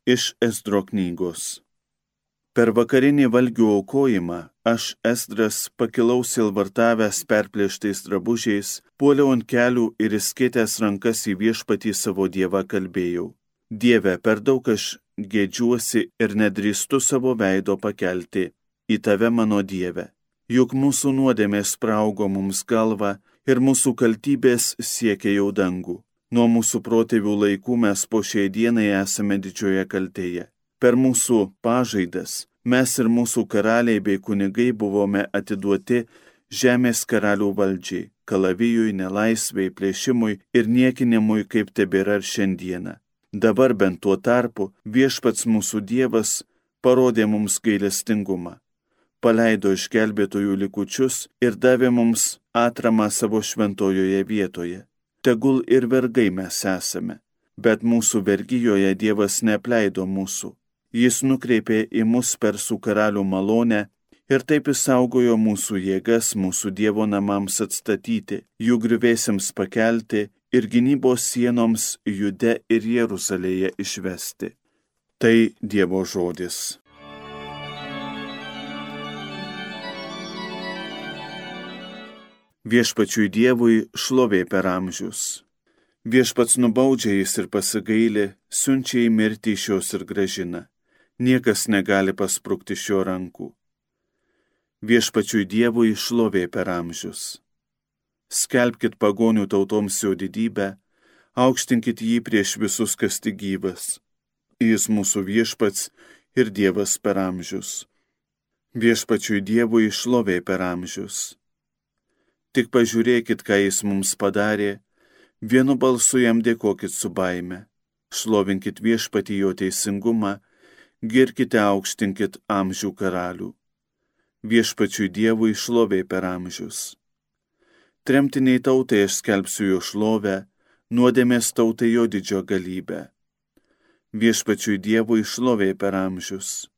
Iš Esdro knygos. Per vakarinį valgių aukojimą aš, Esdras, pakilau silvartavęs perplėštais drabužiais, puoliau ant kelių ir įskėtęs rankas į viešpatį savo Dievą kalbėjau. Dieve, per daug aš gėdžiuosi ir nedrįstu savo veido pakelti į tave, mano Dieve. Juk mūsų nuodėmės spraugo mums galvą ir mūsų kaltybės siekia jau dangų. Nuo mūsų protėvių laikų mes po šiai dienai esame didžioje kaltėje. Per mūsų pažaidas mes ir mūsų karaliai bei kunigai buvome atiduoti žemės karalių valdžiai, kalavijui, nelaisvei, plėšimui ir niekinimui, kaip tebėra ir šiandieną. Dabar bent tuo tarpu viešpats mūsų Dievas parodė mums gailestingumą. Paleido išgelbėtojų likučius ir davė mums atramą savo šventojoje vietoje. Tegul ir vergai mes esame, bet mūsų vergijoje Dievas neapleido mūsų. Jis nukreipė į mus persų karalių malonę ir taip išsaugojo mūsų jėgas mūsų Dievo namams atstatyti, jų griuvėsiams pakelti ir gynybos sienoms Jude ir Jeruzalėje išvesti. Tai Dievo žodis. Viešpačiui Dievui šlovė per amžius. Viešpats nubaudžia jis ir pasigaili, siunčia į mirtį iš jos ir grąžina. Niekas negali pasprukti iš jo rankų. Viešpačiui Dievui šlovė per amžius. Skelbkit pagonių tautoms jo didybę, aukštinkit jį prieš visus, kas tik gyvas. Jis mūsų viešpats ir Dievas per amžius. Viešpačiui Dievui šlovė per amžius. Tik pažiūrėkit, ką jis mums padarė, vienu balsu jam dėkokit su baime, šlovinkit viešpatį jo teisingumą, girkite aukštinkit amžių karalių. Viešpačiui Dievui šlovė per amžius. Tremtiniai tautai aš skelbsiu jo šlovę, nuodėmės tautai jo didžio galybę. Viešpačiui Dievui šlovė per amžius.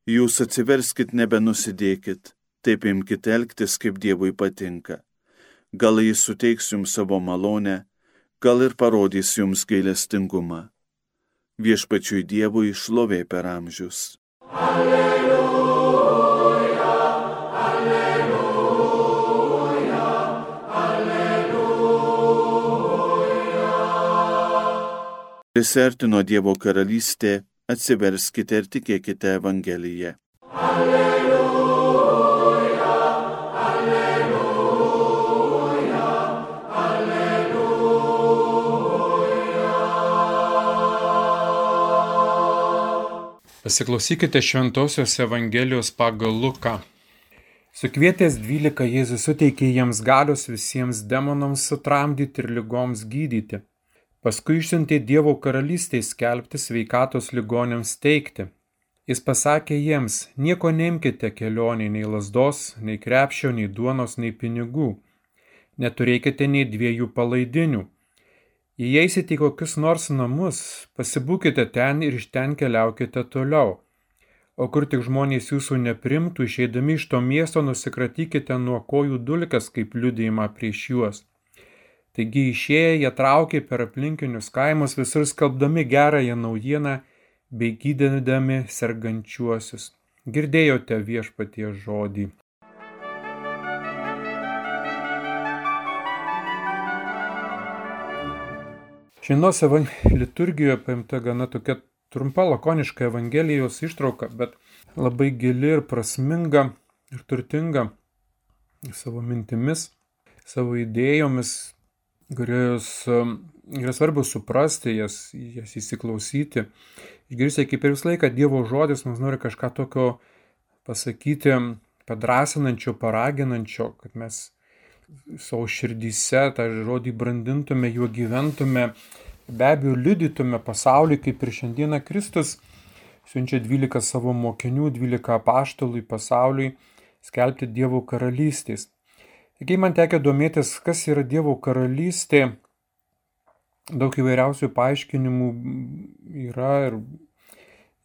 Jūs atsiverskit, nebenusidėkit. Taip imkite elgtis, kaip Dievui patinka. Gal jis suteiks jums savo malonę, gal ir parodys jums gailestingumą. Viešpačiui Dievui šlovė per amžius. Alleluja, alleluja, alleluja. Prisiartino Dievo karalystė, atsiverskite ir tikėkite Evangeliją. Alleluja. Pasiklausykite Šventosios Evangelijos pagal Luką. Sukvietęs 12, Jėzus suteikė jiems galios visiems demonams sutramdyti ir ligoms gydyti. Paskui išsiuntė Dievo karalystei skelbti, sveikatos ligoniams teikti. Jis pasakė jiems, nieko neimkite kelionei, nei lazdos, nei krepšio, nei duonos, nei pinigų. Neturėkite nei 2 palaidinių. Jei eisite į kokius nors namus, pasibūkite ten ir iš ten keliaukite toliau. O kur tik žmonės jūsų neprimtų, išeidami iš to miesto nusikratykite nuo kojų dulkes kaip liudijimą prieš juos. Taigi išėję jie traukė per aplinkinius kaimus, visur skelbdami gerąją naujieną bei gydydami sergančiuosius. Girdėjote Viešpaties žodį. Šiandienos liturgijoje paimta gana tokia trumpa, lakoniška Evangelijos ištrauka, bet labai gili ir prasminga ir turtinga savo mintimis, savo idėjomis, kurios yra svarbu suprasti, jas įsiklausyti. Išgirsti, kaip ir visą laiką Dievo žodis mums nori kažką tokio pasakyti, padrasinančio, paraginančio, kad mes savo širdyse tą žodį brandintume, juo gyventume, be abejo liudytume pasauliui, kaip ir šiandieną Kristus siunčia 12 savo mokinių, 12 apaštalų į pasauliui skelbti Dievo karalystės. Taigi man tekia domėtis, kas yra Dievo karalystė. Daug įvairiausių paaiškinimų yra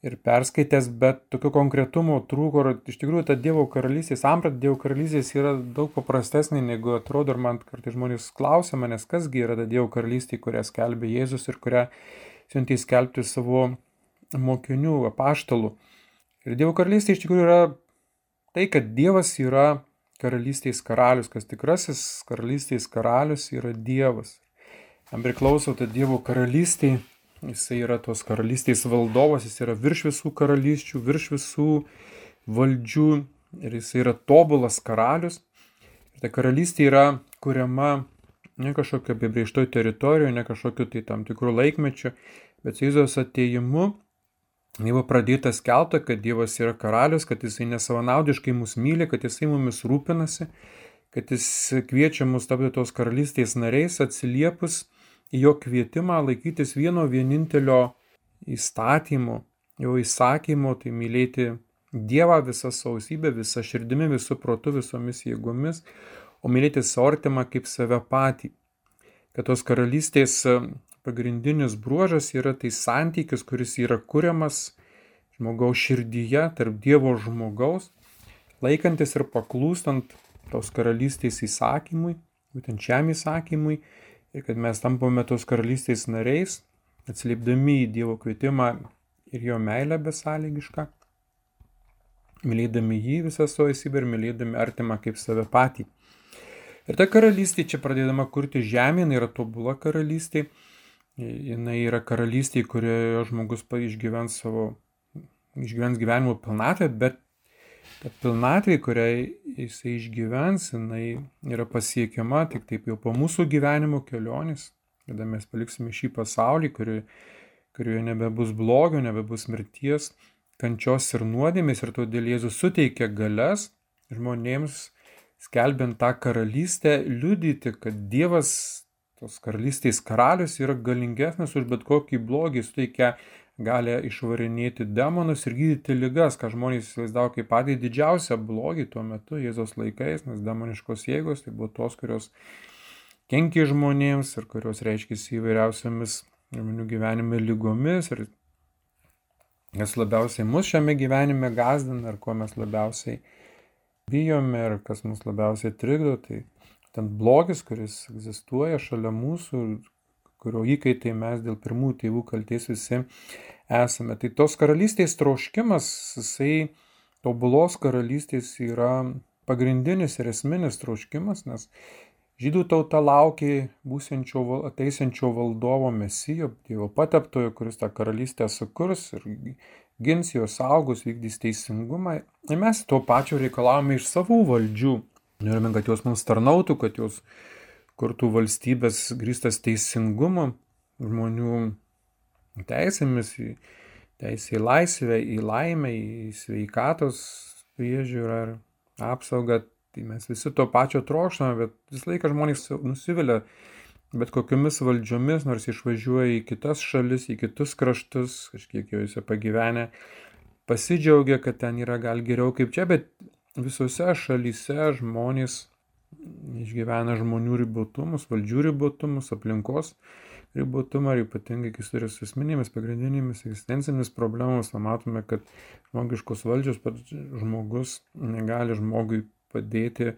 ir perskaitęs, bet tokio konkretumo trūko. Iš tikrųjų, ta Dievo karalystės, samprata Dievo karalystės yra daug paprastesnė, negu atrodo, ir man kartais žmonės klausia manęs, kasgi yra ta Dievo karalystė, kurią skelbė Jėzus ir kurią siuntė skelbti savo mokinių, apaštalų. Ir Dievo karalystė iš tikrųjų yra tai, kad Dievas yra karalystės karalius, kas tikrasis karalystės karalius yra Dievas. Jam priklauso ta Dievo karalystė, jisai yra tos karalystės valdovas, jis yra virš visų karalysčių, virš visų valdžių ir jisai yra tobulas karalius. Ir ta karalystė yra kuriama ne kažkokio apibrėžtoj teritorijoje, ne kažkokiu tai tam tikrų laikmečių, bet su Jėzaus atėjimu jau pradėta skelbta, kad Dievas yra karalius, kad jisai nesavanaudiškai mus myli, kad jisai mumis rūpinasi, kad jis kviečia mus tapti tos karalystės nariais, atsiliepus į jo kvietimą laikytis vieno vienintelio įstatymo, jo įsakymo, tai mylėti Dievą visą sausybę, visą širdimi, visų protu, visomis jėgomis, o mylėti savo artimą kaip save patį. Kad tos karalystės pagrindinis bruožas yra tai santykis, kuris yra kuriamas žmogaus širdyje tarp Dievo žmogaus, laikantis ir paklūstant tos karalystės įsakymui, būtent šiam įsakymui, ir kad mes tampame tos karalystės nariais, atsiliepdami į Dievo kvietimą ir jo meilę besąlygišką, mylėdami jį visą savo esybę ir mylėdami artimą kaip save patį. Ir ta karalystė čia pradėdama kurti žemė, jinai yra tobula karalystė, jinai yra karalystė, kurioje žmogus išgyvens gyvenimo pilnatvę, bet ta pilnatvė, kurią jisai išgyvens, jinai yra pasiekiama tik taip jau po mūsų gyvenimo kelionės, kada mes paliksime šį pasaulį, kurioje nebebus blogio, nebebus mirties, kančios ir nuodėmės, ir todėl Jėzus suteikia galias žmonėms, skelbiant tą karalystę, liudyti, kad Dievas, tos karalystės karalius, yra galingesnis už bet kokį blogį, suteikia gali išvarinėti demonus ir gydyti ligas, ką žmonės įsivaizdavo kaip patį didžiausią blogį tuo metu Jėzaus laikais, nes demoniškos jėgos tai buvo tos, kurios kenkė žmonėms ir kurios reiškėsi įvairiausiamis žmonių gyvenime lygomis ir kas labiausiai mus šiame gyvenime gazdina ir ko mes labiausiai bijome ir kas mus labiausiai trikdo, tai ten blogis, kuris egzistuoja šalia mūsų, kurio įkaitai mes dėl pirmųjų tėvų kaltės visi esame. Tai tos karalystės troškimas, jisai tobulos karalystės yra pagrindinis ir esminis troškimas, nes žydų tauta laukė ateisiančio valdovo Mesijo, Dievo pateptojo, kuris tą karalystę sukurs ir gins jos saugus, vykdys teisingumą. Ir mes to pačio reikalavome iš savų valdžių. Norime, kad jos mums tarnautų, kad jos kurtų valstybės grįstas teisingumu, žmonių teisėmis, teisė į laisvę, į laimę, į sveikatos priežiūrą ir apsaugą. Tai mes visi to pačio trokštame, bet visą laiką žmonės nusivilia bet kokiomis valdžiomis, nors išvažiuoja į kitas šalis, į kitus kraštus, kažkiek juose pagyvenę, pasidžiaugia, kad ten yra gal geriau kaip čia, bet visose šalyse žmonės išgyvena žmonių ribotumus, valdžių ribotumus, aplinkos ribotumą ir ypatingai, kai turi su esminėmis, pagrindinėmis egzistencinėmis problemomis, matome, kad žmogiškos valdžios žmogus negali žmogui padėti,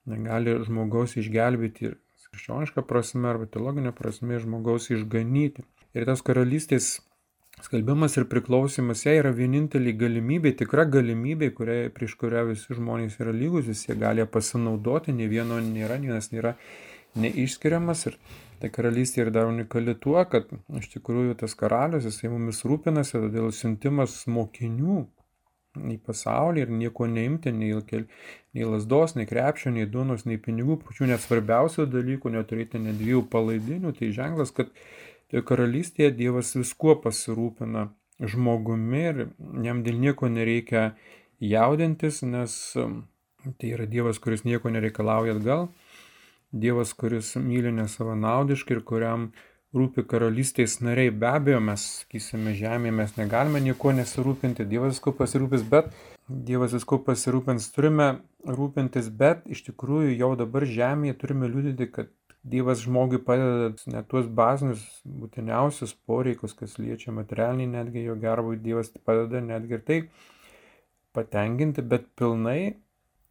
negali žmogaus išgelbėti ir krikščioniška prasme arba teologinė prasme žmogaus išganyti. Ir tas karalystės skelbimas ir priklausimas jai yra vienintelė galimybė, tikra galimybė, prieš kurią visi žmonės yra lygus, visi gali pasinaudoti, ne vieno nėra, vienas nėra neišskiriamas. Ir ta karalystė yra dar unikali tuo, kad iš tikrųjų tas karalius, jisai mumis rūpinasi, todėl siuntimas mokinių į pasaulį ir nieko neimti, nei lasdos, nei krepšio, nei duonos, nei pinigų, pačių net svarbiausių dalykų, neturėti net 2 palaidinių, tai ženklas, kad toje karalystėje Dievas viskuo pasirūpina žmogumi ir jam dėl nieko nereikia jaudintis, nes tai yra Dievas, kuris nieko nereikalauja atgal, Dievas, kuris myli nesavanaudiškai ir kuriam rūpi karalystės nariai. Be abejo, mes, sakysime, žemėje mes negalime nieko nesirūpinti, Dievas visko pasirūpins, turime rūpintis, bet iš tikrųjų jau dabar žemėje turime liudyti, kad Dievas žmogui padeda net tuos bazinius, būtiniausius poreikius, kas liečia materialiniai, netgi jo gerbui Dievas padeda netgi ir tai patenkinti, bet pilnai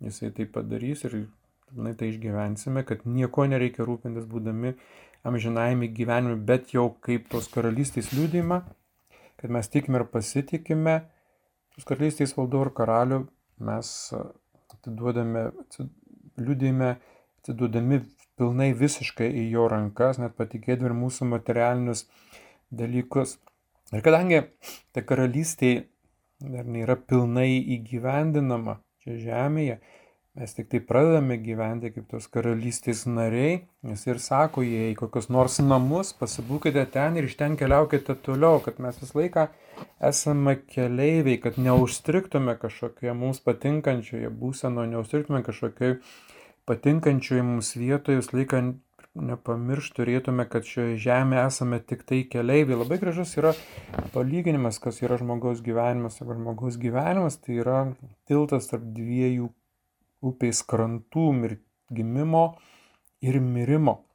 jisai tai padarys ir pilnai tai išgyvensime, kad nieko nereikia rūpintis būdami amžinajame gyvenime, bet jau kaip tos karalystės liudijimą, kad mes tikime ir pasitikime, tos karalystės valdovų ir karalių mes atiduodami pilnai visiškai į jo rankas, net patikėdami ir mūsų materialinius dalykus. Ir kadangi ta karalystė dar nėra pilnai įgyvendinama čia žemėje, mes tik tai pradedame gyventi kaip tos karalystės nariai, nes ir sako, jei kokios nors namus, pasibūkite ten ir iš ten keliaukite toliau, kad mes visą laiką esame keleiviai, kad neužstriktume kažkokioje mums patinkančioje būsenoje, neužstriktume kažkokioje patinkančioje mums vietoje, visą laiką nepamiršti turėtume, kad šioje žemėje esame tik tai keleiviai. Labai gražus yra palyginimas, kas yra žmogaus gyvenimas. Žmogaus gyvenimas tai yra tiltas tarp dviejų upės krantų, gimimo ir mirimo.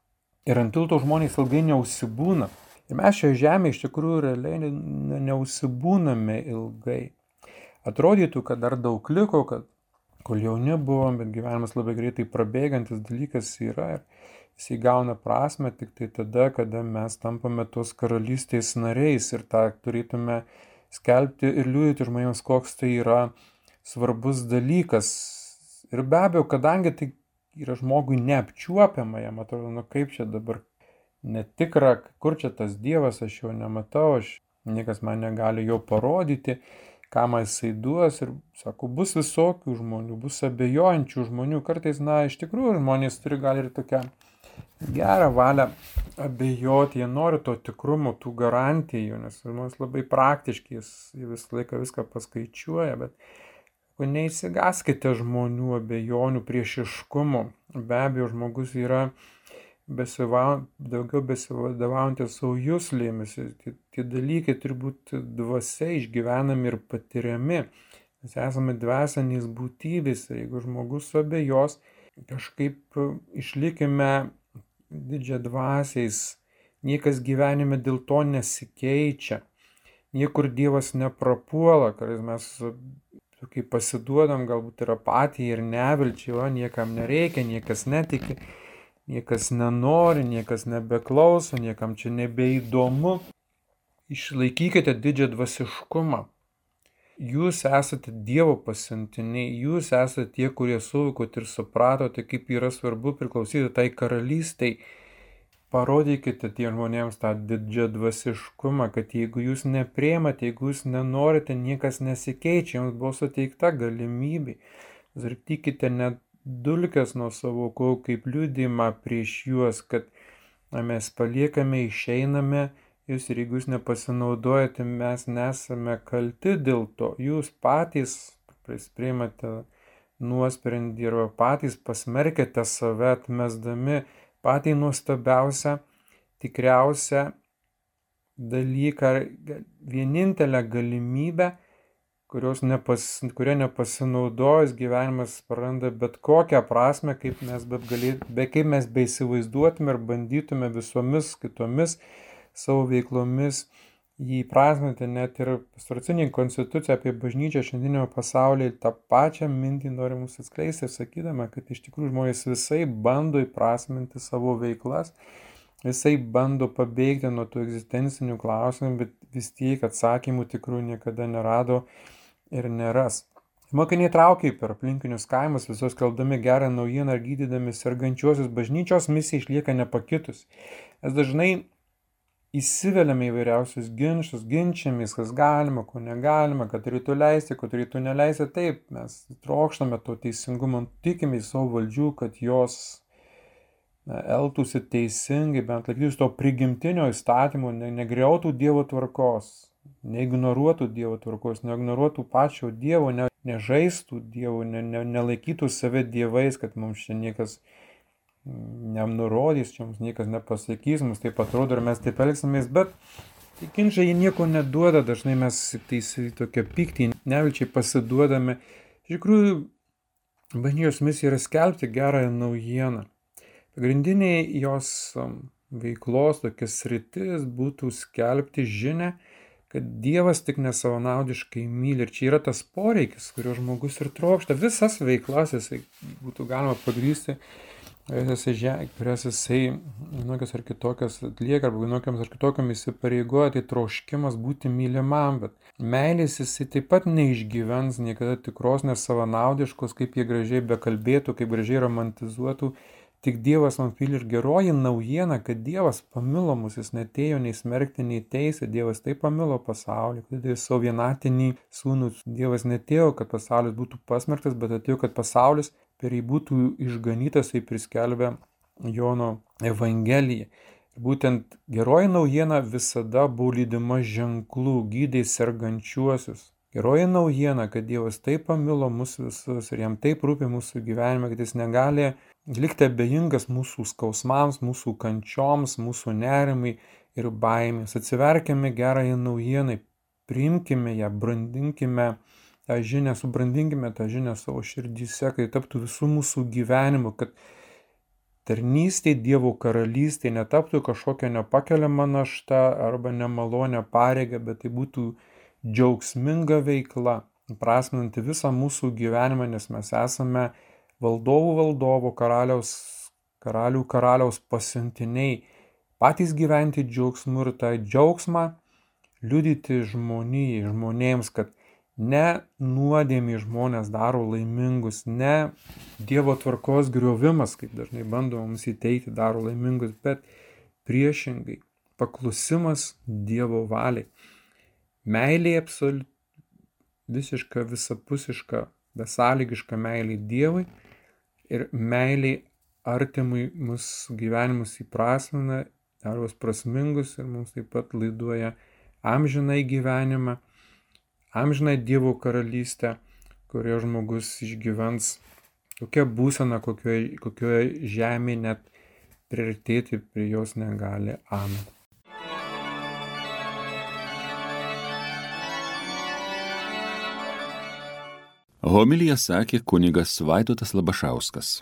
Ir ant tilto žmonės ilgai neužsibūna. Ir mes šioje žemėje iš tikrųjų realiai neužsibūname ilgai. Atrodytų, kad dar daug liko, kad kol jauni buvom, bet gyvenimas labai greitai prabėgantis dalykas yra ir jis įgauna prasme tik tai tada, kada mes tampame tos karalystės nariais ir tą turėtume skelbti ir liudyti žmonėms, koks tai yra svarbus dalykas. Ir be abejo, kadangi tai yra žmogui neapčiuopiama, jam atrodo, kaip čia dabar netikra, kur čia tas Dievas, aš jo nematau, niekas man negali jo parodyti, ką man jisai duos. Ir sako, bus visokių žmonių, bus abejojančių žmonių. Kartais, iš tikrųjų, žmonės turi gal ir tokią gerą valią abejoti, jie nori to tikrumo, tų garantijų, nes žmonės labai praktiški, jie visą laiką viską paskaičiuoja, bet neįsigaskite žmonių abejonių, priešiškumo. Be abejo, žmogus yra daugiau besivadovaujantis savo juslėmis. Tie dalykai turi būti dvasia išgyvenami ir patiriami. Mes esame dvasinės būtybės ir jeigu žmogus abejos, kažkaip išlikime didžiadvasiais. Niekas gyvenime dėl to nesikeičia. Niekur Dievas neprapuola, kad mes kai pasiduodam galbūt ir apatijai ir nevilčiai, niekam nereikia, niekas netiki, niekas nenori, niekas nebeklauso, niekam čia nebeįdomu. Išlaikykite didžią dvasiškumą. Jūs esate Dievo pasiuntiniai, jūs esate tie, kurie suvokot ir supratote, kaip yra svarbu priklausyti tai karalystei. Parodykite tie žmonėms tą didžią dvasiškumą, kad jeigu jūs nepriimate, jeigu jūs nenorite, niekas nesikeičia, jums buvo suteikta galimybė. Zartykite net dulkes nuo savo kojų kaip liudijimą prieš juos, kad mes paliekame, išeiname jūs ir jeigu jūs nepasinaudojate, mes nesame kalti dėl to. Jūs patys priimate nuosprendį ir patys pasmerkite save atmesdami patį nuostabiausią, tikriausią dalyką, vienintelę galimybę, kuria nepasinaudojus gyvenimas praranda bet kokią prasme, kaip mes beįsivaizduotume ir bandytume visomis kitomis savo veiklomis jį prasminti. Net ir pastoracinė konstitucija apie bažnyčią šiandienio pasaulyje tą pačią mintį nori mums atskleisti, sakydama, kad iš tikrųjų žmonės visai bando įprasminti savo veiklas, visai bando pabėgti nuo tų egzistencinių klausimų, bet vis tiek atsakymų tikrųjų niekada nerado ir neras. Mokiniai traukė per aplinkinius kaimus, visos skelbdami gerą naujieną ir gydydami sergančiuosius. Bažnyčios misija išlieka nepakitus. Mes dažnai įsiveliame įvairiausius ginčus, ginčiamės, kas galima, ko negalima, kad turėtų leisti, ko turėtų neleisti. Taip, mes trokštame to teisingumo, tikime į savo valdžių, kad jos elgtųsi teisingai, bent laikytųsi to prigimtinio įstatymo, negriautų Dievo tvarkos, neignoruotų Dievo tvarkos, neignoruotų pačio Dievo, nežaistų Dievo, nelaikytų save dievais, kad mums čia niekas nenurodys, čia mums niekas nepasakys, mums taip atrodo ir mes taip elgsimės, bet tai ginčai jie nieko neduoda, dažnai mes tokia pyktį, nevilčiai pasiduodame. Iš tikrųjų, bažnyčios misija yra skelbti gerąją naujieną. Pagrindiniai jos veiklos tokias sritis būtų skelbti žinią, kad Dievas tik nesavanaudiškai myli. Ir čia yra tas poreikis, kurio žmogus ir trokšta. Visas veiklas jisai būtų galima pagrįsti kurias jisai vienokias ar kitokias atlieka, arba vienokiams ar kitokiam įsipareigoja, tai troškimas būti mylimam, bet meilės jisai taip pat neišgyvens niekada tikros, nes savanaudiškos, kaip jie gražiai bekalbėtų, kaip gražiai romantizuotų. Tik Dievas man pyli ir geroji naujiena, kad Dievas pamilo mus, jis netėjo nei smerkti, nei teisė, Dievas taip pamilo pasaulį, kad tai savo vienatinį sūnų. Dievas netėjo, kad pasaulis būtų pasmerktas, bet atėjo, kad pasaulis per jį būtų išganytas, tai priskelbė Jono Evangelija. Ir būtent geroji naujiena visada buvo lydima ženklų, gydė sergančiuosius. Geroji naujiena, kad Dievas taip pamilo mus visus ir jam taip rūpi mūsų gyvenime, kad jis negali likti abejingas mūsų skausmams, mūsų kančioms, mūsų nerimai ir baimės. Atsiverkime gerąją naujieną, priimkime ją, brandinkime tą žinią, subrandinkime tą žinią savo širdyse, kad taptų visų mūsų gyvenimu, kad tarnystė Dievo karalystė netaptų kažkokia nepakeliama našta arba nemalonė pareiga, bet tai būtų džiaugsminga veikla, prasminanti visą mūsų gyvenimą, nes mes esame valdovų, karaliaus pasiuntiniai, patys gyventi džiaugsmu ir tą džiaugsmą liudyti žmonėms, kad ne nuodėmė žmonės daro laimingus, ne Dievo tvarkos griovimas, kaip dažnai bandoma mums įteikti, daro laimingus, bet priešingai paklusimas Dievo valiai. Meilė visiška, visapusiška, besąlygiška meilė Dievui ir meilė artimui mūsų gyvenimus įprasmina, daro juos prasmingus ir mums taip pat laiduoja amžinai gyvenimą, amžinai Dievo karalystę, kurioje žmogus išgyvens tokia būsena, kokioje žemė net priartėti prie jos negali. Amen. Homiliją sakė kunigas Vaidotas Labašauskas.